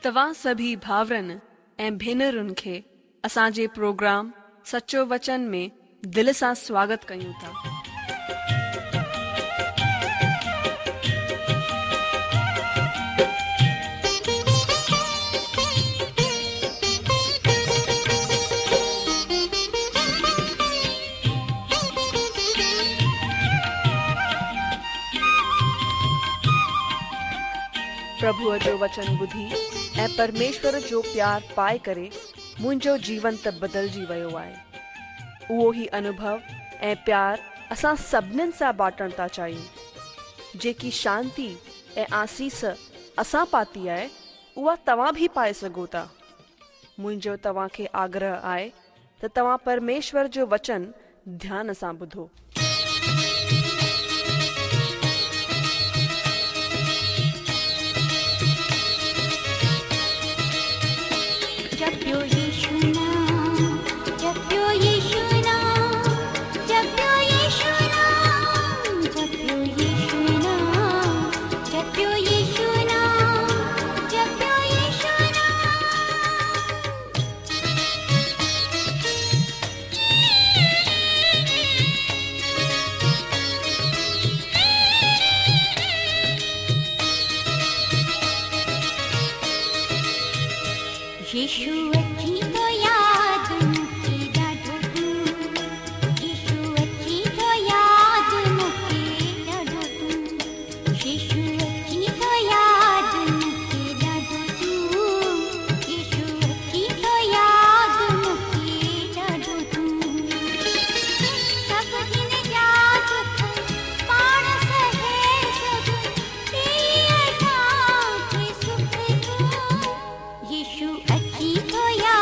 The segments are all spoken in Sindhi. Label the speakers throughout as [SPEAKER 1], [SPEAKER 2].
[SPEAKER 1] توهان سڀئي ڀائرن ۽ ڀينرن کي اسان جي پروگرام سچو وچن ۾ دل سان سواگت ڪيون ٿا. پرڀوء جو وچن ٻڌي ۽ پرميشور جو پيار پائي ڪري منهنجو جيون ته بدلجي ويو آهي. اهو ئي انوڀو ۽ پيار اسان سڀنين سان بانٽڻ ٿا چاهيون. جيڪي شانتي ۽ آسيس اسان پاتي آهي، اها توهان به پائي سگهو ٿا. منهنجو توهان کي آگرهه آهي ته توهان پرميشور جو وچن ڌيان سان ٻڌو.
[SPEAKER 2] جپيو يشو نام جپيو يشو نام جپيو يشو نام جپيو يشو نام جپيو يشو نام جپيو يشو نام. يشو اچي ٿو ياد مون کي ڏاڍو تون يشو اچي ٿو ياد مون کي ڏاڍو تون يشو اچي ٿو ياد مون کي ڏاڍو تون يشو اچي ٿو ياد مون کي ڏاڍو تون سڀ هن جا دک پاڻ سهي سڀ ڏئي اسان کي سک ٿو يشو اچي ٿو ياد.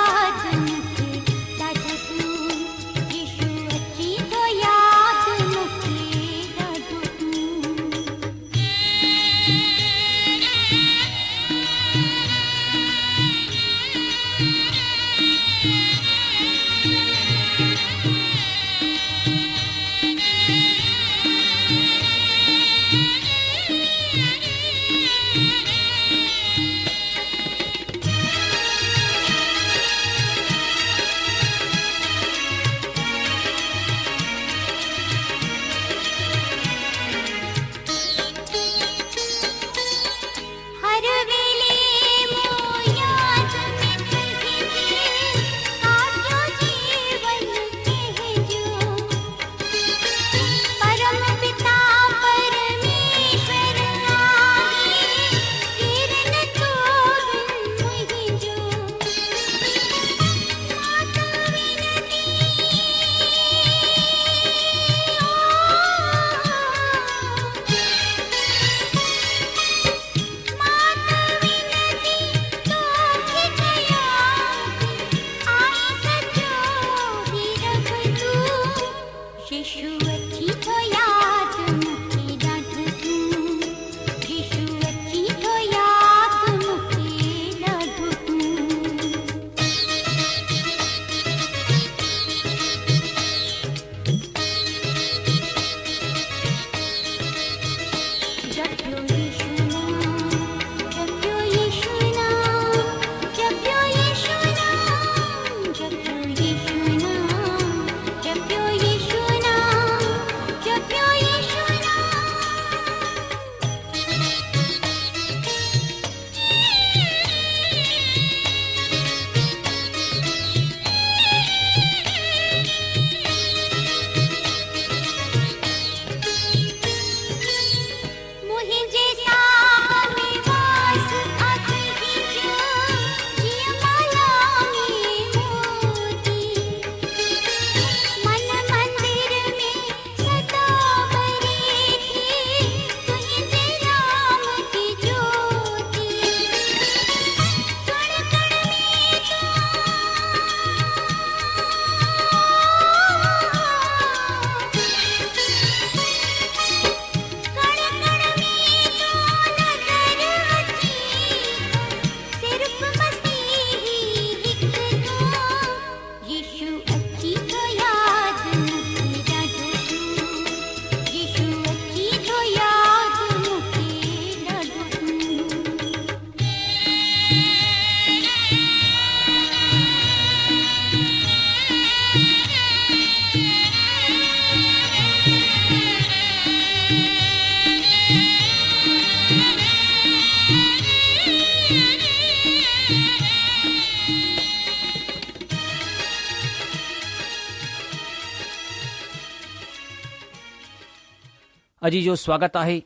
[SPEAKER 3] عزيزو سواگت آهي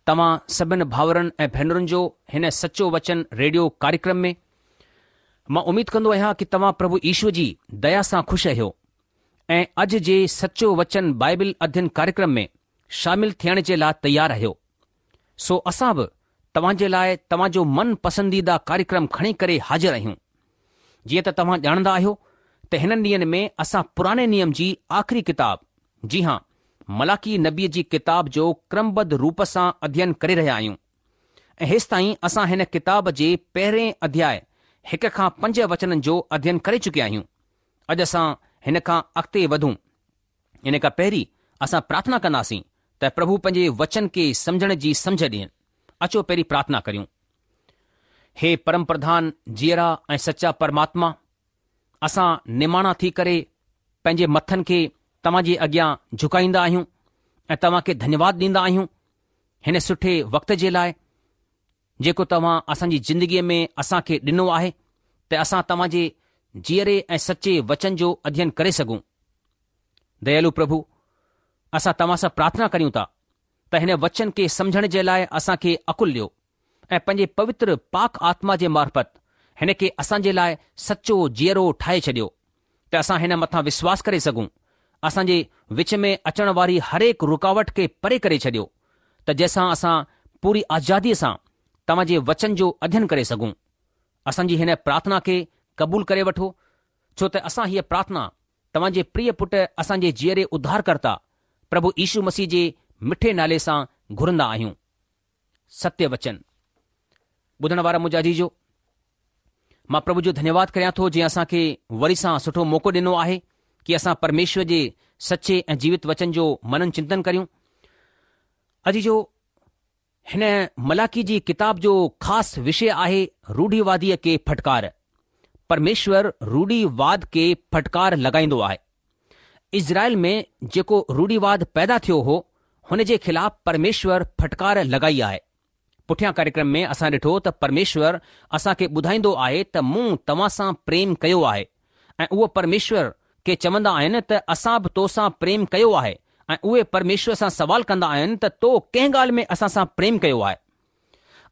[SPEAKER 3] توهان سڀن ڀاورن ۽ ڀينرن جو هن سچو وچن ريڊيو ڪاريڪرم ۾. مان اميد ڪندو آهيان ڪي توهان پرڀو يشو جي ديا سان خوش آهيو ۽ اڄ جي سچو وچن بائبل اڌين ڪاريڪرم ۾ شامل ٿيڻ جي لاء تيار آهيو. سو اسان به توهان جي لاء توهان جو من پسنديده ڪاريڪرم کڻي ڪري حاضر آهيون. جيئن ته توهان ڄاڻندا آهيو ته هنن ڏينهن ۾ اسان پراڻي نيم جي آخري ڪتاب جي هان ملاڪي نبيء جي ڪتاب جو ڪرمبڌ روپ سان اڌين ڪري رهيا آهيون ۽ هيستائين اسان هن ڪتاب جي پهرين اڌياء هڪ کان پنج وچنن جو اڌين ڪري چڪيا آهيون. اڄ اسان هن کان اڳتي وڌون. ان کان پهرين اسان پرارٿنا ڪنداسين ته پرڀو پنهنجي وچن کي سمجهڻ جي سمجهه ڏين. اچو پهرين پرارٿنا ڪريون. هي پرم پرڌان جيئرا ۽ سچا پرماتما، اسان نماڻا ٿي ڪري پنهنجي مٿن کي توهان جي اڳيان جهڪائيندا آهيون ۽ توهان کي ڌنيواد ڏيندا آهيون هن سٺي وقت جي لاء جيڪو توهان اسان جي زندگيء ۾ اسان کي ڏنو آهي ته اسان توهان جي جيئري ۽ سچي وچن جو اڌين ڪري سگهون. ديالو پرڀو، اسان توهان سان پرارٿنا ڪريون ٿا ته هن وچن کي سمجهڻ جي لاء اسان کي عقل ڏيو. ۽ پنهنجي پوتر پاڪ آتما جي معرفت هن کي اسان جي لاء سچو جيئرو ٺاهي ڇڏيو ته اسان هن مٿان وشواس ڪري سگهون، اسان جي وچ ۾ اچڻ واري هرهڪ رڪاوٽ کي پري ڪري ڇڏيو ته جنهن سان اسان پوري آزاديء سان توهان جي وچن جو اڌين ڪري سگهون. اسان جي هن پرارٿنا کي قبول ڪري وٺو، ڇو ته اسان هيء پرارٿنا توهان جي پريه پٽ اسان جي جيئري اڌارڪرتا پرڀو يشو مسيح جي مٺي نالي سان گهرندا آهيون. ستيه وچن. ٻڌڻ وارا منهنجا عزيزو، مان پرڀو جو ڌنيواد ڪريان ٿو جنهن اسان کي وري سان سٺو موقعو ڏنو آهي ڪي اسان پرميشور جي سچي ۽ جيوت وچن جو منن چنتن ڪريون. عزيزو، هن ملاڪي جي ڪتاب جو خاص وشي آهي روڙهيواديء کي ڦٽڪار. پرميشور روڙهيواد کي ڦٽڪار لڳائيندو آهي. اسرائيل ۾ جيڪو روڙهيواد پيدا ٿيو هو، هن جي خلاف پرميشور ڦٽڪار لڳائي آهي. پٺيان ڪاريڪرم ۾ اسان ڏٺو ته پرميشور اسان کي ٻڌائيندو آهي ته مون توهان سان پريم ڪيو آهي ۽ اهو پرميشور کي چوندا آهن ته اسان به تو سان پريم ڪيو آهي ۽ اهي پرميشور سان سوال ڪندا آهن ته تو ڪنهن ڳالهه ۾ اسان سان پريم ڪيو آهي؟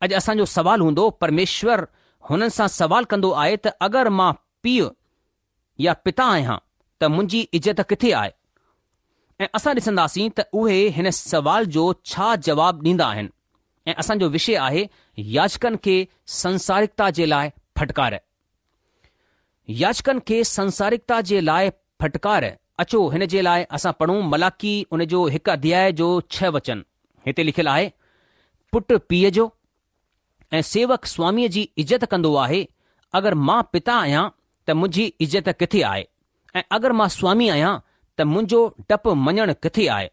[SPEAKER 3] اڄ اسان جو سوال هوندو پرميشور هنن سان سوال ڪندو آهي ته اگر مان پيء يا پتا آهيان ته منهنجي عزت ڪٿي آهي؟ ۽ اسان ڏسنداسين ته اهي هن سوال جو ڇا جواب ڏيندا آهن ۽ اسان جو وشي آهي ياجڪن کي سنسارڪتا جي لاء ڦٽڪار. ياجڪن کي سنسارڪتا جي لاء ڦٽڪار اچو هن جي لاء اسان پڙهون ملاڪي ان جو هڪ اڌياء جو ڇهه وچن هتي لکيل آهي پٽ پيء جو ۽ سيوڪ سواميء جي عزت ڪندو آهي، اگر مان پتا آهيان ته منهنجي عزت ڪٿي آهي؟ ۽ اگر مان سوامي آهيان ته منهنجو ڊپ مڃڻ ڪٿي آهي؟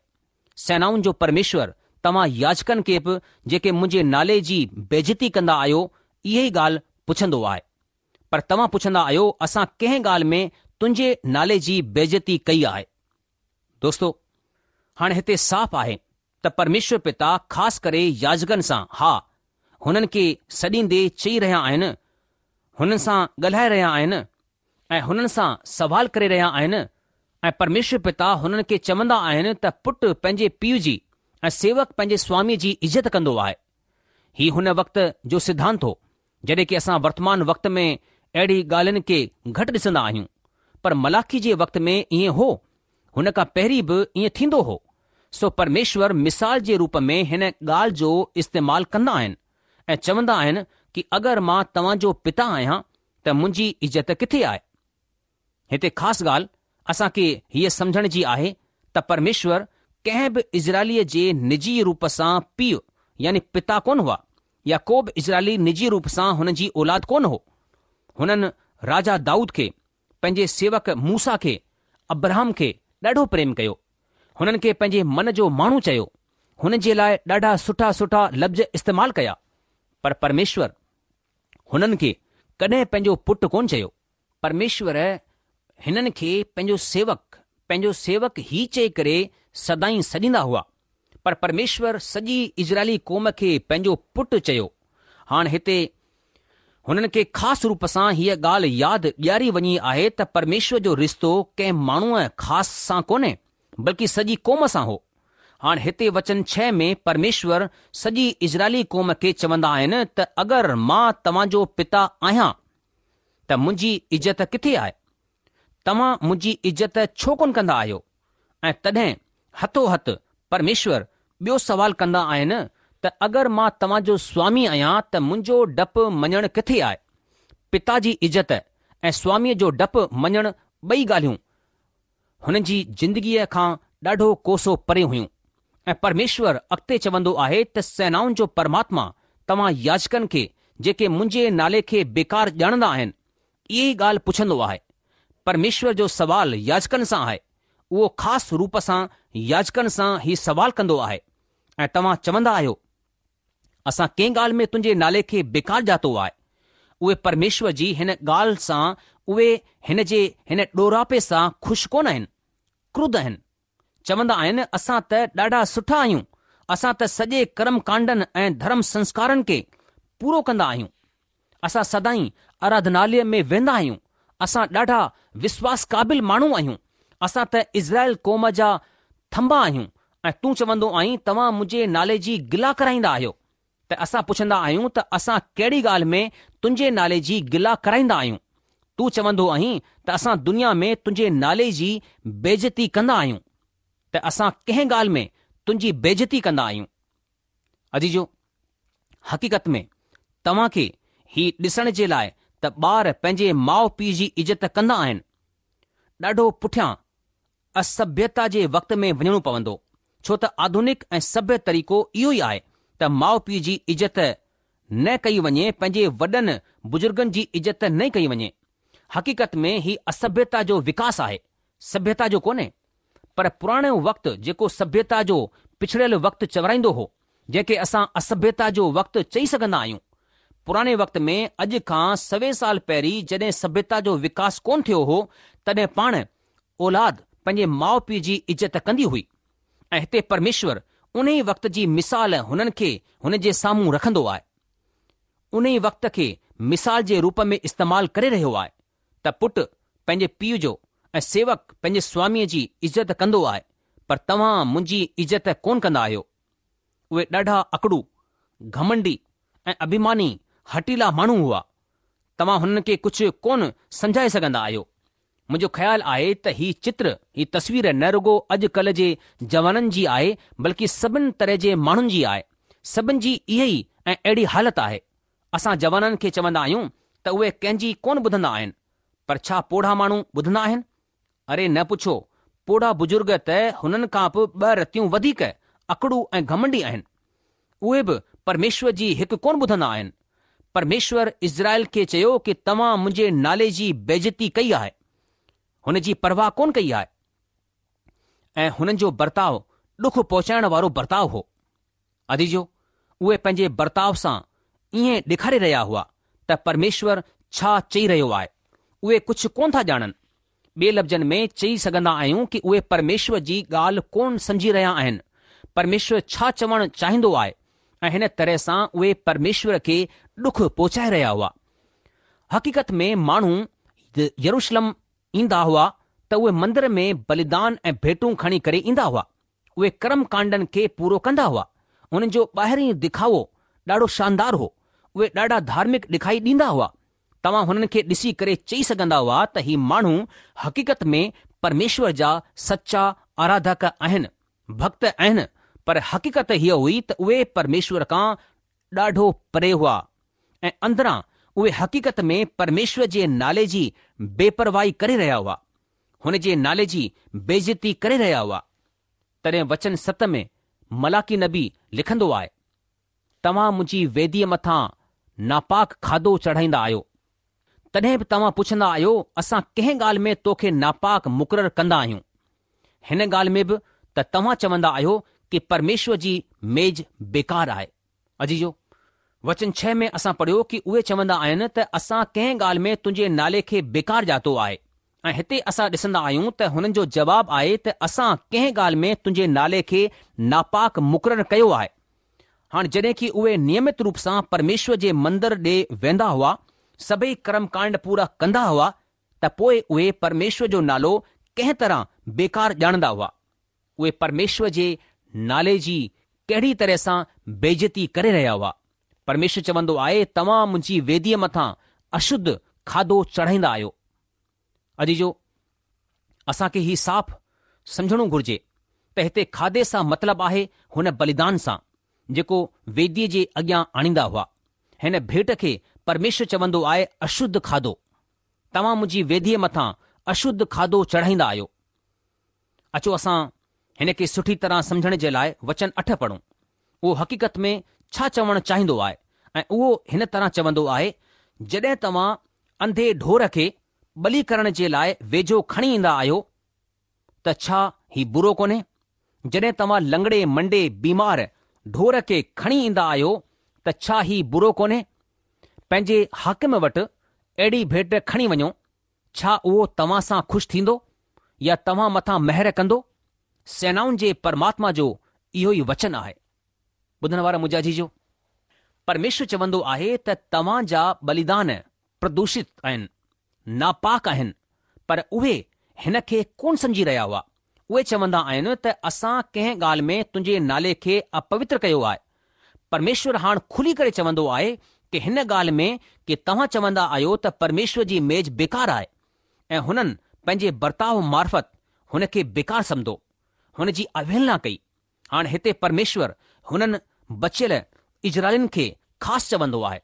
[SPEAKER 3] سينائن جو پرميشور توهان ياجڪن کي به جيڪي منهنجي نالي جي بيعزتي ڪندا آهيو، اها ئي ڳالهه پڇندو آهي. پر توهان پڇندا آهيو، اسان ڪنهن ڳالهه ۾ تنهنجي نالي جي بيعزتي ڪئي آهي؟ دوستو! هاڻي هتي صاف آهي ته پرميشور پتا خاص ڪري ياجڪن سان، ها، هنن کي سڏيندي چئي رهيا آهن، هنن سان ڳالهائي رهيا آهن ۽ هنن سان سوال ڪري رهيا آهن ۽ پرميشور پتا هنن کي چوندا آهن ته پٽ پنهنجي پيء جي ۽ سيوڪ پنهنجي سواميء جي عزت ڪندو آهي. هي هن وقت جو سڌانت هو، جڏهن ڪي اسان ورتمان وقت ۾ اهڙي ڳالهين کي گهٽ ڏسندا آهيون، پر ملاخي جي وقت ۾ ائين هو، هن کان پهرين به ائين ٿيندو هو. سو پرميشور مثال جي روپ ۾ هن ڳالهه جو استعمال ڪندا آهن ۽ چوندا آهن ڪي اگر مان توهان جو پتا آهيان ته منهنجي عزت ڪٿي آهي؟ هتي خاص ڳالهه اسان کي هيء سمجهڻ جي آهي ته پرميشور ڪنهن به اسرائيليء جي نجي روپ سان پيء يعني پتا ڪونه هئا يا ڪو به اسرائيلي نجي روپ سان هن جي اولاد ڪونه هو. هنن راجا دائود کي، پنهنجي سيوڪ موسيٰ کي، ابرهام کي ڏاڍو پريم ڪيو. هنن کي پنهنجي من جو ماڻهو چيو. هن جي لاء ڏاڍا سٺا سٺا لفظ استعمال ڪيا. پر پرميشور هنن کي ڪڏهن پنهنجو پٽ ڪونه چيو. پرميشور هنن کي پنهنجو سيوڪ، پنهنجو سيوڪ هي چئي ڪري سدائين سڏيندا هئا. پر پرميشور سڄي اسرائيلي قوم کي پنهنجو پٽ چيو. هاڻ هتي هنن کي خاص روپ سان هيء ڳالهه ياد ڏياري وڃي آهي ته پرميشور جو رشتو ڪنهن ماڻهوء خاص سان ڪونهي، بلڪه سڄي قوم سان هو. هاڻ هتي وچن ڇهه ۾ پرميشور سڄي اسرائيلي قوم کي چوندا آهن ته اگر مان توهان جو پتا آهيان ته منهنجي عزت ڪٿي آهي؟ توهان منهنجي عزت ڇو ڪونه ڪندا آهيو؟ ۽ تڏهن هٿو هٿ پرميشور ٻيو سوال ڪندا آهن ته اگر مان توهان جو سوامي آهيان ته منهنجو ڊپ مڃڻ ڪٿي آهي؟ پتا جي عزت ۽ سواميء جو ڊپ مڃڻ ٻئي ڳالهيون هنن جي زندگيء کان ڏاڍو ڪوسو پري هيون ۽ پرميشور اڳتي چوندو آهي ته سينائن جو پرماتما توهان ياجڪن کي جيڪي منهنجي نالي کي بيڪار ڄاڻندا آهن اهي ئي ڳالهه پڇندو آهي. پرميشور جو سوال ياجڪن سان آهي. اهو خاص روپ سان ياجڪن سان هي سوال ڪندو آهي ۽ توهان چوندا آهيو اسان ڪنهن ڳالهه ۾ تنهنجي نالي کي بيڪار ڄاتو آهي؟ اهي پرميشور جي هن ڳالهه سان اهي هن جي هن ڏوراپي سان خوش ڪونه آهن، ڪرڌ آهن. چوندا آهن اسان ته ڏاڍا سٺا آهيون، اسان ته سڄي ڪرم ڪانڊن ۽ ڌرم سنسڪارن کي پورو ڪندا آهيون. اسان سدائين آراڌناليه ۾ ويندا آهيون، اسان ڏاڍا وسواس قابل ماڻهو آهيون، اسان ته اسرائيل قوم جا ٿنڀا آهيون ۽ تون چوندو آهين توهان منهنجي نالي جي گلا ڪرائيندا آهيو ته اسان پڇندا آهيون ته اسان ڪهڙي ڳالهه ۾ تنهنجي نالي جي گلا ڪرائيندا آهيون؟ تون چوندو آهين ته اسان دنيا ۾ تنهنجي نالي جي بيعزتي ڪندا آهيون ته اسان ڪنهن ڳالهه ۾ تنهنجي بيعزتي ڪندا آهيون؟ عزيزو! حقيقت ۾ توهان کي هي ڏسڻ جي لاء ته ٻار پنهنجي ماء پيء جي عزت ڪندا آهن، ڏاڍو پٺيان اسڀيتا جي وقت ۾ وڃڻو پوندو، ڇو ته آڌونڪ ۽ سڀيه طريقو اهو ئي آهي ته ماء پيء جي عزت نه ڪئي وڃي، پنهنجي وڏن بزرگن جي عزت نه ڪئي وڃي. حقيقت ۾ هي اسڀيتا جو وڪاس آهي، سڀيتا جو ڪونهي. پر پراڻو وقت جيڪو سڀيتا جو پڇڙيل وقت چورائيندو هو، جنهن کي اسان اسڀيتا جو وقت چئي سگهندا آهيون. پراڻي وقت ۾ اڄ کان سوين سال پهرين جڏهن سڀيتا جو وڪاس ڪونه ٿيو هو، تڏهن پاڻ اولاد پنهنجي ماء پيء جي عزت ڪندي هئي ۽ هتي پرميشور انهي وقت جي مثال هنن کي هن جي سامهون رکندو آهي. انهي وقت کي مثال جي روپ ۾ استعمال ڪري رهيو آهي ته پٽ پنهنجي پيء جو ۽ سيوڪ پنهنجي سواميء جي عزت ڪندو آهي پر توهان منهنجي عزت ڪونه ڪندا آهيو. اهي ڏاڍا اڪڙو، گهمنڊي ۽ اڀيماني هٺيلا ماڻهو هئا. توهان هنن کي ڪجهه ڪونه سمجهائي سگهندا آهيو. منهنجو خيال آهي ته هي چتر، هي تصوير نه رڳو اڄ ڪلهه جي جوانن جي آهي بلڪه سڀن طرح جي ماڻهن جي آهي. سڀن جي اها ئي ۽ اهڙي حالت آهي. اسان جوانن کي چوندا آهيون ته اهي ڪنهن جي ڪونه ٻڌندا آهن. پر ڇا پوڙها ماڻهو ٻڌندا آهن؟ اري نه پڇو، پوڙها بزرگ ته هنن کان به ٻه رتيون وڌيڪ اڪڙو ۽ گهمنڊي آهن. اهي به پرميشور جي هڪ ڪونه ٻڌندا آهن. پرميشور اسرائيل کي چيو ڪي توهان منهنجي نالي جي بيعزتي ڪئي آهي. هن جي پرواهه ڪونه ڪئي آهي. ۽ هنن جو برتاء ڏک پهچائڻ وارو برتاء هو. عزيزو، اهي پنهنجي برتاء سان ائين ڏيکاري رهيا هئا ته پرميشور ڇا چئي رهيو آهي، اهي ڪجهه ڪونه ٿا ڄاڻن. ٻئي لفظن ۾ چئي سگهندا آهيون ڪي اهي پرميشور جي ڳالهه ڪونه سمجهي رهيا آهن، پرميشور ڇا چوڻ چاهيندو آهي ۽ هن طرح سان اهي پرميشور کي ڏک پهچائي رهيا هئا. حقيقت ۾ ماڻهو يروشلم ايندا هئا ته اهي مندر ۾ بليدان ۽ ڀيٽون کڻي ڪري ايندا هئا. اهي ڪرم ڪانڊن کي پورو ڪندا هئا. انهن جو ٻاهرين دکاوو ڏاڍو شاندار هو. اهي ڏاڍا ڌارمڪ ڏکائي ڏيندا هئا. توهان هنن کي ڏسي ڪري چئي سگهندا هئا ته هي ماڻهو حقيقت ۾ پرميشور جا سچا آراڌڪ آهن، ڀڳت آهن، پر حقيقت هيء هئي ته اهي پرميشور کان ڏاڍو پري هئا ۽ اندران اهي حقيقت ۾ پرميشور جي نالي جي بيپرواهي ڪري رهيا هئا. هن جي نالي جي بيعزتي ڪري رهيا هئا. تڏهن وچن ست ۾ ملاڪي نبي لکندو آهي، توهان منهنجي ويديء مٿان ناپاڪ کاڌو چڙهائيندا آهيو. تڏهن به توهان پڇندا آهيو، اسان ڪنهن ڳالهه ۾ توکي ناپاڪ مقرر ڪندا آهيون؟ هن ڳالهه ۾ به ته توهان چوندا آهيو ڪي پرميشور جي ميز بيڪار آهي. عزيزو! وچن ڇهه ۾ اسان پڙهيو ڪي اهي چوندا آهن ته اسان ڪنهن ڳالهه ۾ تنهنجي نالي کي بيڪار ڄاتو آهي ۽ هتي اسان ڏسندا آهيون ته هنن جو جواب آهي ته اسان ڪنهن ڳالهه ۾ تنهنجي نالي کي ناپاڪ مقرر ڪيو آهي. هاڻ جڏهن ڪي اهي نيمت روپ سان پرميشور جي مندر ڏي ويندا هئا، سڀئي ڪرم ڪانڊ پورا ڪندا هئا ته پوء اهي پرميشور جو نالو ڪنهن طرح بيڪار ڄاڻندا هئا. اهي پرميشور جي نالي جي ڪهڙي طرح سان بيعزتي ڪري رهيا هئا. پرميشور چوندو آهي، توهان منهنجي ويديء مٿان اشڌ کاڌو چڙهائيندا آهيو. عزيزو! اسان کي هي صاف سمجهڻو گهرجي ته هتي کاڌي سان مطلب آهي هن بليدان سان، جيڪو ويديء جي اڳيان آڻيندا هئا. هن ڀيٽ کي پرميشور چوندو آهي اشڌ کاڌو. توهان منهنجي ويديء مٿان اشڌ کاڌو چڙهائيندا آهيو. اچو اسان هن کي سٺي طرح سمجهڻ جي لاء وچن اٺ پڙهون. اهو حقيقت ۾ ڇا چوڻ چاهيندو آهي ۽ اهو هن طرح چوندو آهي، جڏهن توهان انڌي ڍور کي ٻلي ڪرڻ جي لاء ويجهو کڻي ايندا آهيو ته ڇا هي برو ڪونهي؟ جڏهن توهان لنگڙي منڊي بيمار ڍور کي کڻي ايندا آهيو ته ڇا هي برو ڪونهي؟ پنهنجي حاڪم وٽ اهڙي ڀيٽ کڻي وڃو، ڇا اهو توهان سان خوش ٿيندو يا توهان مٿان مهر ڪندو؟ سينائن جي پرماتما جو اهو ئي وچن آهي. ٻڌڻ وارا منهنجا عزيزو! پرميشور چوندو آهي ته توهان جا ٻليدان پردوشت آهن، ناپاڪ آهن، پر اهي هن کي ڪونه سمجهي رهيا هئا. اهي چوندا آهن ته اسان ڪنهن ڳالهه ۾ تنهنجي نالي کي اپوتر ڪيو آهي. پرميشور هاڻ کلي ڪري چوندو آهي ڪه هن ڳالهه ۾ ڪه توهان چوندا آهيو ته پرميشور جي ميز بيڪار آهي ۽ هنن پنهنجي برتاء معرفت هن کي بيڪار سمڌو، هن جي اوهيلنا ڪئي. هاڻ هتي پرميشور هنن بچيل اسرائيلين کي خاص چوندو آهي.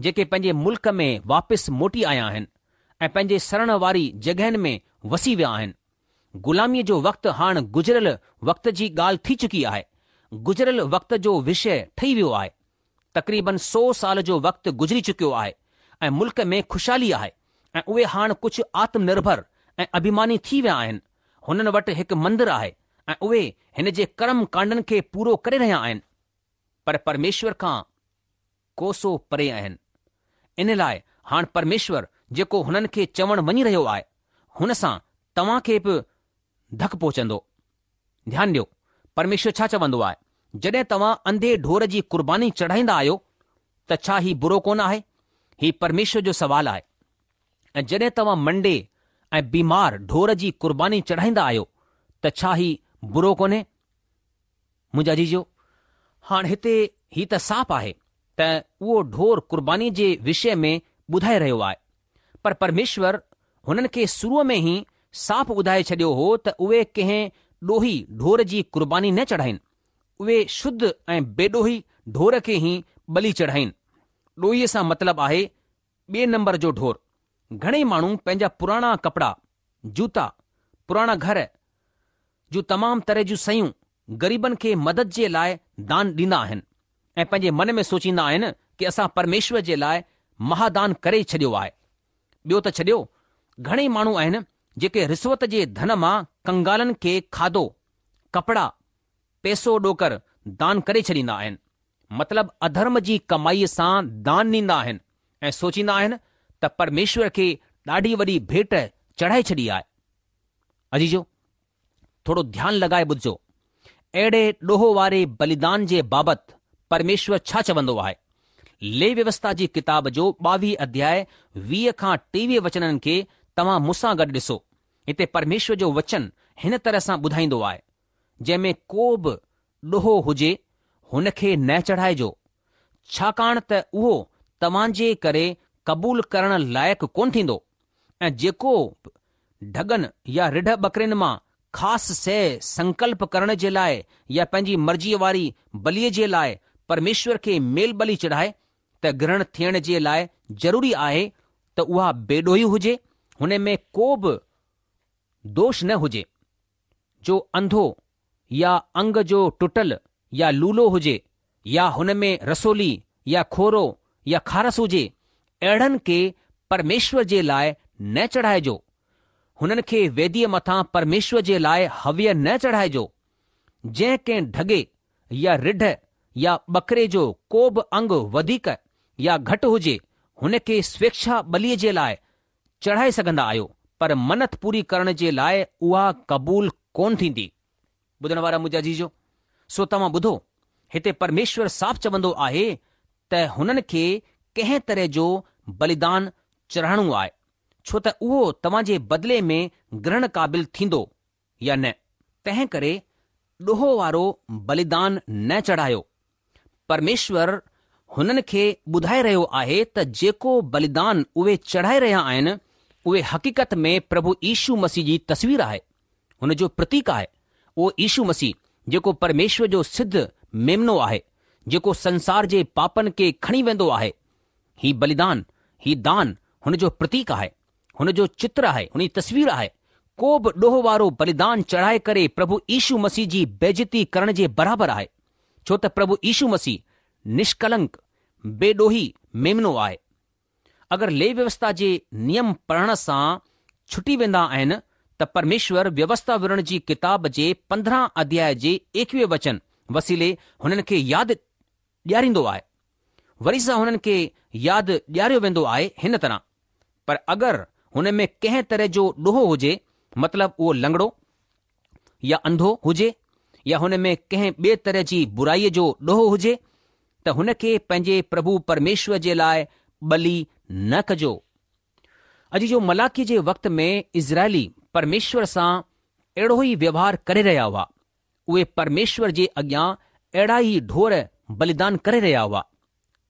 [SPEAKER 3] جيڪي پنهنجي ملڪ ۾ واپس موٽي آيا آهن ۽ پنهنجي سرڻ واري جڳهين ۾ وسي ويا آهن. غلاميء جو وقت هاڻ گذريل وقت جي ڳالهه ٿي چڪي آهي. گذريل وقت جو وشيه ٺهي ويو آهي. تقريبن سو سال جو وقت گذري چڪيو آهي ۽ ملڪ ۾ خوشحالي آهي ۽ اهي هاڻ ڪجهه آتم نرڀر ۽ اڀيماني ٿي ويا آهن. هنن وٽ هڪ مندر آهي ۽ اهي هن جي ڪرم ڪانڊن کي پورو ڪري رهيا آهن. پر پرميشور کان ڪوسو پري آهن. ان لاء هاڻ پرميشور جيڪو هنن کي چوڻ وڃي رهيو آهي، هن سان توهان کي به ڌڪ پهچندو. ڌيان ڏيو، پرميشور ڇا چوندو آهي، جڏهن توهان انڌي ڍور جي قرباني چڙهائيندا آهيو ته ڇا هي برو ڪونه آهي؟ هي پرميشور جو سوال آهي. ۽ جڏهن توهان منڊي ۽ بيمار ڍور جي قرباني چڙهائيندا آهيو ته ڇا هي برو ڪونهي؟ منهنجا عزيزو، هاڻ هتي هي ته صاف آهي ته اهو ڍور قربانيء جي وشيه ۾ ٻڌائي رهيو آهي، پر پرميشور هنن کي شروع ۾ ئي صاف ٻڌائي ڇڏيو هو ته اهي ڪنهن ڏوهي ڍور جي قرباني نه چڙهائين، اهي شڌ ۽ بيڏوهي ڍور کي ئي ٻلي چڙهائين. ڏوهي سان مطلب آهي ٻئي نمبر جو ڍور. گهڻيئي ماڻهو پنهنجا پراڻا ڪپڙا، جوتا، پراڻا گهر جون تمام طرح جون شيون غريبن کي مدد جي لاء دان ڏيندا آهن ۽ پنهنجي من ۾ سوچيندا آهن ڪي اسان پرميشور جي لاء مهادان ڪري ڇڏيو آهي. ٻيو ته ڇڏيو، گهڻيئي ماڻهو آهن جيڪي رشوت جي ڌن مان ڪنگالن کي کاڌو، ڪپڙا، پئسو ڏوڪڙ دان ڪري ڇڏيندا آهن. مطلب اڌرم جي ڪمائيء سان دان ڏيندا آهن ۽ سوچيندا آهن ته پرميشور کي ڏاڍي وڏي ڀيٽ چڙهائي ڇڏي آهي. عزيزو! ٿورو ڌيان لڳائي ٻڌجو. اهڙي ڏوهه واري بليدان جي بابت پرميشور ڇا چوندو آهي؟ ليويوسٿا جي ڪتاب جو 22 اڌياء 20 کان 23 وچنن کي توهان مون سان گڏ ڏسو. هتي پرميشور جو وچن هن طرح سان ٻڌائيندو آهي، جنهن ۾ ڪو به ڏوهه هجي، هن کي نه چڙهائجو، ڇاڪاڻ ته اهو توهان جي ڪري قبول ڪرڻ لائق ڪونه ٿيندو ۽ جيڪو به ڍڳن يا رڍ ٻڪرين مان خاص شيء سنڪلپ ڪرڻ جي لاء يا پنهنجي مرضيء واري بليء جي لاء پرميشور کي ميل ٻلي چڙهائي ته گرهڻ ٿيڻ جي لاء ضروري آهي ته اها بيڏوهي هجي، هن ۾ ڪو به دوش نه هجي، جو انڌو يا انگ جو ٽٽل يا لولو هجي يا هن ۾ رسولي يا کورو يا خارس هجي، اهڙن کي پرميشور جي لاء نه چڙهائجو. هنن کي ويديء مٿان پرميشور جي لاء هويه نه چڙهائجو. جنهن ڪنهن ڍڳي يا رڍ يا ٻڪري جو ڪو به انگ وڌيڪ يا گهٽ هجي، هن کي سويڇا ٻليء جي لاء چڙهائي سگهندا آهيو، پر منت پوري ڪرڻ جي لاء اها قبول ڪونه ٿيندي. ٻڌڻ وارا منهنجا عزيزو! سو توهان ٻڌو، هتي پرميشور صاف چوندو آهي ته هنن کي ڪنهن طرح جو بليدان چڙهائڻو آهي، ڇو ته اهو توهان جي بدلي ۾ گرهڻ قابل ٿيندو يا نه. تنهن ڪري ڏوهه وارو بليدان نه چڙهايو. پرميشور هنن کي ٻڌائي رهيو آهي ته جيڪو بليدان اهي چڙهائي رهيا آهن، اهي حقيقت ۾ پرڀو يشو مسيح جي تصوير آهي، هن جو پرتيڪ آهي. اهو يشو مسيح جيڪو پرميشور جو سڌ ميمنو آهي، جيڪو سنسار جي پاپن کي کڻي ويندو آهي. هي بليدان، هي دان هن جو پرتيڪ آهي، هن جو چتر آهي، هن جي تصوير آهي. ڪو به ڏوهه وارو بليدان چڙهائي ڪري پرڀو يشو مسيح جي بيعزتي ڪرڻ جي برابر آهي، ڇو ته پرڀو يشو مسيح نشڪلنڪ، بي ڏوهي ميمنو آهي. اگر ليوي ويوسٿا جي نيم پڙهڻ سان ڇٽي ويندا آهن ته پرميشور ويوسٿا وورڻ جي ڪتاب جي 15 اڌياء جي 21 وچن وسيلي هنن کي ياد ڏياريندو آهي. وري سان هنن کي ياد ڏياريو ويندو آهي هن طرح، پر اگر هن ۾ ڪنهن طرح جو ڏوهه هجي، مطلب اهو لنگڙو يا انڌو هجي يا هن ۾ ڪنهن ٻئي طرح جي برائيء جو ڏوهه هجي ته هن کي پنهنجي پرڀو پرميشور جي لاء ٻلي نه ڪجو. اڄ جو ملاڪي جي وقت ۾ اسرائيلي پرميشور سان اهڙو ئي ويوهار ڪري رهيا هئا. اهي پرميشور جي اڳيان اهڙا ئي ڍور بليدان ڪري رهيا هئا.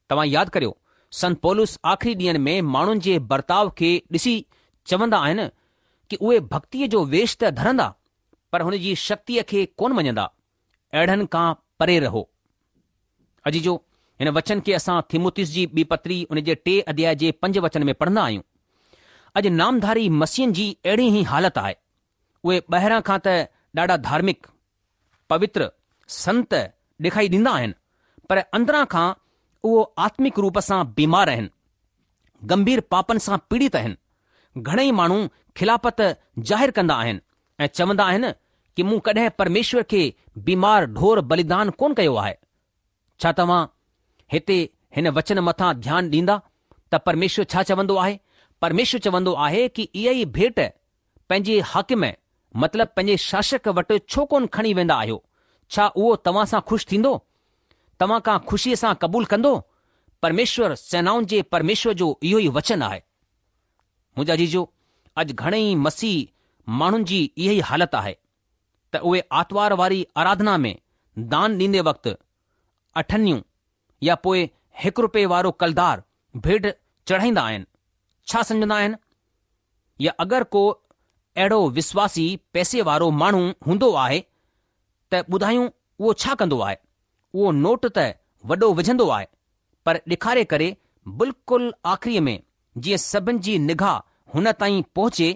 [SPEAKER 3] توهان ياد ڪريو، سنت پولس آخري ڏينهن ۾ ماڻهن جي برتاء کي ڏسي چوندا آهن ڪي اهي ڀڳتيء جو ويش ته ڌرندا پر هن جي شڪتيء کي ڪونه مڃندا. اهڙن کان پري رهو. عزيزو، هن وچن کي اسان تيموٿيس جي ٻي پتري ان جي ٽي اڌياء جي پنج وچن ۾ پڙهندا آهيون. اڄ نامڌاري مسيحن جي اهڙي ئي حالت آهي. اهي ٻاهران کان ته ڏاڍا ڌارمڪ، پوتر، سنت ڏيکائي ڏيندا آهن، پر اندران کان اهو آتمڪ روپ سان بيمار آهن، گنڀير پاپن سان پيڙت آهن. گهڻئي ماڻهو خلافت ظاهر ڪندا آهن ۽ چوندا آهن ڪي مون ڪڏهن پرميشور کي بيمار ڍور بليدان ڪونه ڪيو آهي. ڇا توهان هتي هن وچن مٿان ڌيان ڏيندا ته پرميشور ڇا چوندو آهي؟ پرميشور چوندو آهي ڪي اها ئي ڀيٽ پنهنجي حاڪم مطلب پنهنجي شاشڪ وٽ ڇو ڪونه کڻي ويندا آهيو؟ ڇا اهو توهان سان خوش ٿيندو؟ توهان کان خوشيء سان قبول ڪندو؟ پرميشور سينائن جي پرميشور جو اهو ئي وچن آهي. منهنجا عزيزو، اڄ گهڻئي مسيحي ماڻهن جي اها ئي حالت آهي ته اهي آتوار واري آراڌنا ۾ دان ڏيندي وقت اٺنيون يا پوء هڪ رپئي وارو ڪلدار ڀيٽ چڙهائيندا آهن. ڇا سمجهندا آهن؟ يا اگر ڪو اهڙو وسواسي پئسي وارو ماڻهو هوندو آهي ته ٻڌايون اهو ڇا ڪندو آهي؟ اهو نوٽ ته وڏو وجهندو آهي پر ڏيکاري ڪري بلڪل آخري ۾ جيئن سڀن جي نگاهه هن تائين پهچي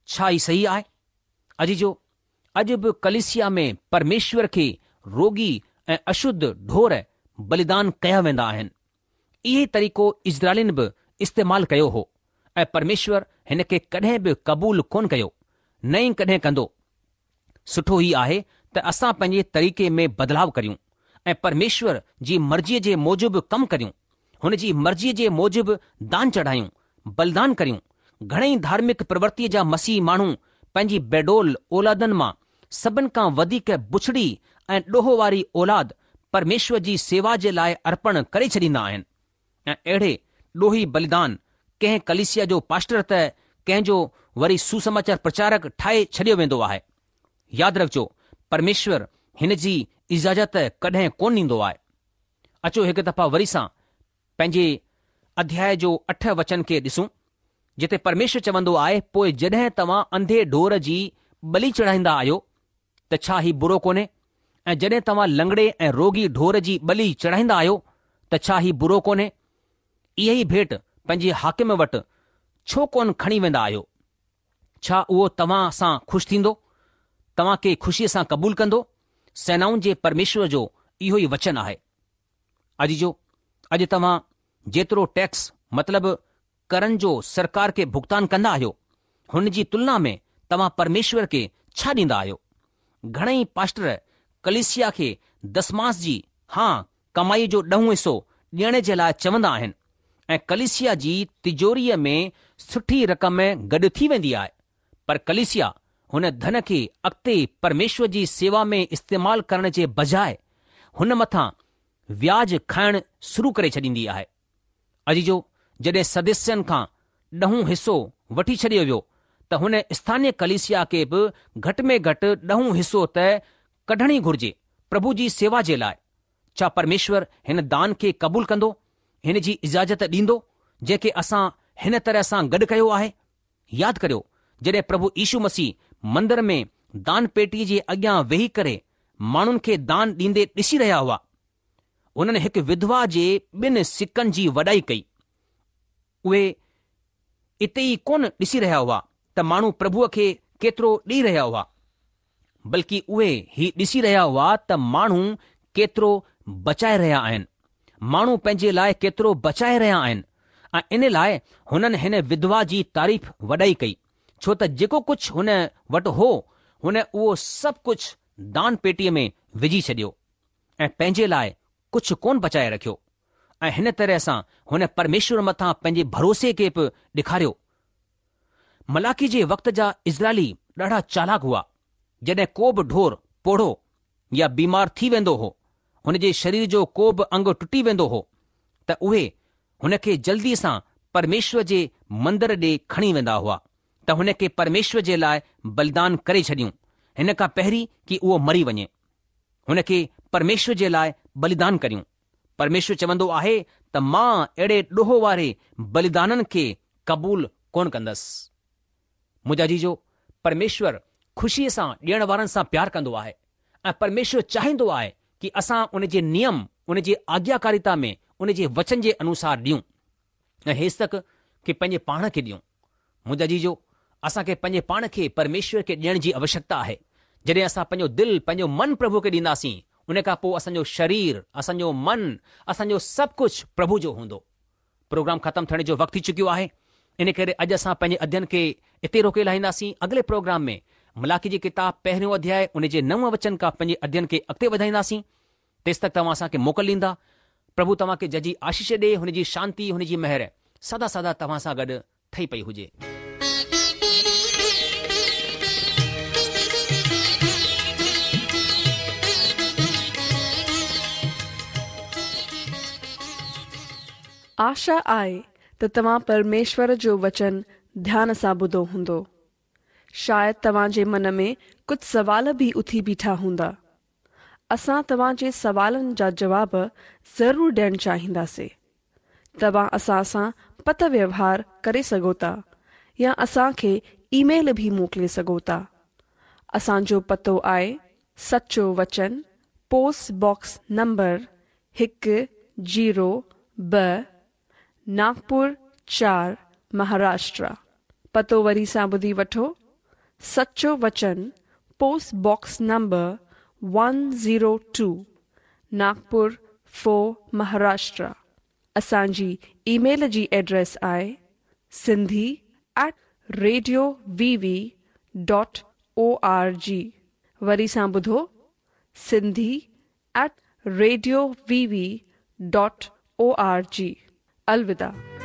[SPEAKER 3] ڇا هي صحيح آهي؟ عزيزو اڄ به ڪليسيا ۾ پرميشور کي روڳي ۽ اشڌ ڍور بليدان ڪيا ويندا آهن. اهو ئي طريقو اسرائيلين به استعمال ڪيو هو ۽ پرميشور هن کي ڪڏهن به قبول ڪونه ڪيو، نه ئي ڪڏهن ڪندو. سٺو هي آهي ته اسان پنهنجي طريقي ۾ بدلاء ڪريون ۽ پرميشور جي مرضيء جي موجب ڪم ڪريون، هن جي مرضيء جي موجب دان چڙهايون، بلدان ڪريون. گهڻئي ڌارمڪ پرورتيء جا مسيحي ماڻهو پنهنجي بيڊول اولادن مان سڀن کان وڌيڪ بڇڙي ۽ ڏوهه واري اولاد پرميشور جي سيوا جي لاء ارپڻ ڪري ڇڏيندا آهن ۽ اهڙي ڏوهي بليدان ڪنهن ڪليسيا جو پاسٽر ته ڪنهن جو وري سوسماچار پرچارڪ ٺاهي ڇڏيو ويندو آهي. ياد رکجو پرميشور هن جي اجازت ڪڏهن ڪونه ڏيندو آهي. اچو هڪ دفعا وري سان پنهنجي اڌياء جو اٺ وچن کي ڏسون، جتي پرميشور چوندو آهي، پوء جڏهن توهان انڌي ڍور جي ٻلي چڙهائيندا آهيو ته ڇا هي برو ڪونهي؟ ۽ جڏهن توهان لنگڙي ۽ روڳي ڍور جي ٻلي چڙهائيندا آهيو ته ڇا هي برو ڪونهي؟ اها ئي ڀيٽ پنهنجي حاڪم وٽ ڇو ڪونه کڻي ويندا آهيو؟ ڇا اهو توهان سان خوش ٿيندو؟ توهان کي خوشيء سان قبول ڪندو؟ سينائن جي پرميشور جو اهو ئي وچن آهي. عزيزو! اڄ توهان جيترو ٽيڪس مطلب ڪرن جو سرڪار کي ڀگتان ڪندا آهيو، هن جي تلنا ۾ توهان پرميشور کي ڇا ڏيندا آهيو؟ گهڻئي پاسٽر ڪليسيا کي دسمانس جي، ها، ڪمائي جو ڏهون حصو ڏيڻ جي لاء چوندا آهن ۽ ڪليسيا جي تجوريء ۾ سٺي رقم گڏ ٿي ويندي آهي، پر ڪليسيا هن ڌن کي اڳتي پرميشور جي سيوا ۾ استعمال ڪرڻ جي بجاء هن مٿان وياج کائڻ شروع ڪري ڇڏيندي آهي. عزيزو، جڏهن سدسين کان ڏهون حصو وٺي ڇڏيو ويو ته هن اسٿانيه ڪليسيا کي به گهٽ ۾ گهٽ ڏهون حصو ته ڪڍڻ ئي گهرجي پرڀو جي سيوا جي لاء. ڇا پرميشور هن دان کي قبول ڪندو، هن جي اجازت ڏيندو، جنهن کي اسان هن طرح سان گڏ ڪيو آهي؟ ياد ڪريو، جڏهن پرڀو يشو مسيح مندر ۾ دان پيٽيء جي اڳيان ويهي ڪري ماڻهن کي دان ڏيندي ڏسي رهيا هئا، هنن هڪ وڌوا جي ٻن سڪن جي وڏائي ڪئي. اهي اتي ئي ڪونه ڏسي رهيا هئا ته ماڻهو پرڀوء کي ڪيترو ڏيئي رهيا هئا، بلڪ اهي هي ڏسي رهيا هئا ته ماڻهو ڪيترو بچائي رهيا آهن، ماڻهو پنهنجي لاء ڪيترو بچائي رهيا آهن ۽ ان لاء هنن هن وڌوا جي تعريف وڏائي ڪئي، ڇو ته جيڪو ڪجهه هن وٽ هو، هن اهو سڀ ڪجهه دان پيٽيء ۾ وجهي ڇڏيو ۽ پنهنجي لاء ڪجهه ڪونه بچائي رکيو ۽ هن طرح سان هن پرميشور مٿان پنهنجي ڀروسي کي به ڏيکاريو. ملاڪي جي وقت جا اسرائيلي ڏاڍا چالاڪ هئا. جڏهن ڪو به ڍور پوڙهو يا بيمار ٿي ويندو هو، هن جي شرير جو ڪو به انگ ٽٽي ويندو هو ته اهي هن کي جلدي سان پرميشور جي مندر ڏي کڻي ويندا هئا ته هن کي پرميشور جي لاء بلدان ڪري ڇڏيون، هن کان پهرين ڪي اهو مري وڃي. هن کي پرميشور جي لاء بليدان ڪريون. پرميشور چوندو آهي ته مان اهڙي ڏوهه واري بليدانن کي قبول ڪونه ڪندس. منهنجا عزيزو، پرميشور خوشيء سان ڏيڻ وارن سان پيار ڪندو آهي ۽ پرميشور چاهيندو آهي ڪي اسان ان جي نيم، ان جي آگياڪاريتا ۾ ان جي وچن جي انوسار ڏيون ۽ هيستڪ ڪي پنهنجي پاڻ کي ڏيون. منهنجا عزيزو، اسان کي پنهنجي پاڻ کي پرميشور کي ڏيڻ جي اوشيڪتا آهي. جڏهن اسان پنهنجو دل، پنهنجو من پرڀوء کي ڏينداسين، ان کان پوء اسان جو شرير، اسان جو من، اسان جو سڀ ڪجهه پرڀو جو هوندو. پروگرام ختم ٿيڻ جو وقت ٿي چڪيو آهي، ان ڪري اڄ اسان پنهنجي اڌين کي اتي روڪي لاهينداسين. اڳلي پروگرام ۾ ملاڪي جي ڪتاب پهريون اڌياء ان جي نون وچن کان پنهنجي اڌين کي اڳتي وڌائينداسين. تيستڪ توهان اسان کي موڪل ڏيندا. پرڀو توهان کي ججهي آشيش ڏي، هن جي شانتي، هن جي مهر سدا سدا توهان سان گڏ ٺهي پئي هجي.
[SPEAKER 1] آشا آهي ته توهان پرميشور جو وچن ڌيان سان ٻڌو هوندو. شايد توهان جي من ۾ ڪجهه سوال به اٿي بيٺا هوندا. اسان توهان جي سوالن جا جواب ضرور ڏيڻ چاهينداسين. توهان اسان سان پتر ويوهار ڪري سگهو ٿا يا اسان کي اي ميل به موڪلي سگهو ٿا. اسان جو پتو آهي سچو وچن پوسٽ باڪس نمبر هڪ زيرو ٻه ناگپور چار مهاراشٽرا. پتو وري سان ٻڌي وٺو سچو وچن post box number one zero two Nagpur four Maharashtra. اسان جي اي ميل جي ايڊريس آهي Sindhi at radio V V dot O R G وري سان ٻڌو Sindhi at radio V V dot O R G. الوداع.